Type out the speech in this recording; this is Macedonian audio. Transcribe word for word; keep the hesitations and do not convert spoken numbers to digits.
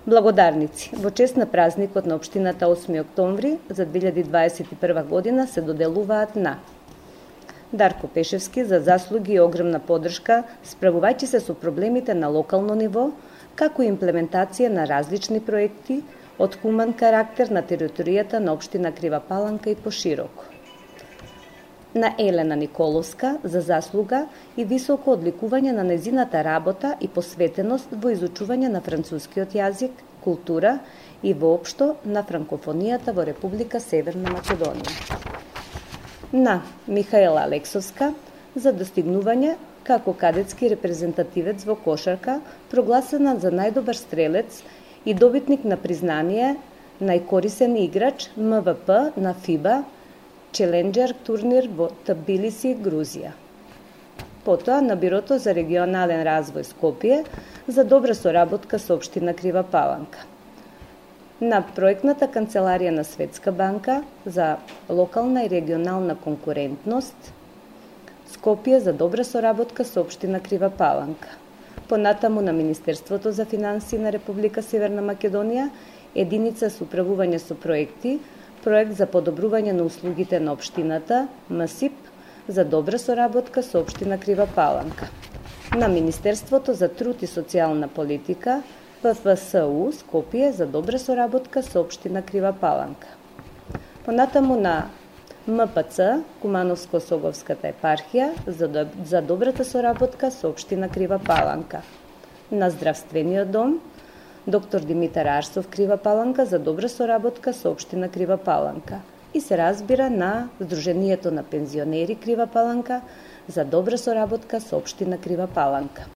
Благодарници. Во чест на празникот на општината осми октомври за две илјади дваесет и прва година се доделуваат на Дарко Пешевски за заслуги и огромна поддршка справувајќи се со проблемите на локално ниво, како и имплементација на различни проекти од хуман карактер на територијата на општина Крива Паланка и пошироко. На Елена Николовска за заслуга и високо одликување на нејзината работа и посветеност во изучување на францускиот јазик, култура и воопшто на франкофонијата во Република Северна Македонија. На Михаела Алексовска за достигнување како кадетски репрезентативец во кошарка, прогласена за најдобар стрелец и добитник на признание најкорисен играч М В П на ФИБА Челенџер турнир во Тбилиси, Грузија. Потоа на Бирото за регионален развој Скопје за добра соработка со општина Крива Паланка. На проектната канцеларија на Светска банка за локална и регионална конкурентност Скопје за добра соработка со општина Крива Паланка. Понатаму на Министерството за финансии на Република Северна Македонија единица со управување со проекти, проект за подобрување на услугите на општината М С И П за добра соработка со општина Крива Паланка. На Министерството за труд и социјална политика П Ф С У Скопје за добра соработка со општина Крива Паланка. Понатаму на М П Ц Кумановско-Соговската епархија за, за добрата соработка со општина Крива Паланка. На Здравствениот дом Доктор Димитар Арсов Крива Паланка за добра соработка со општина Крива Паланка и се разбира на Сдруженијето на пензионери Крива Паланка за добра соработка со општина Крива Паланка.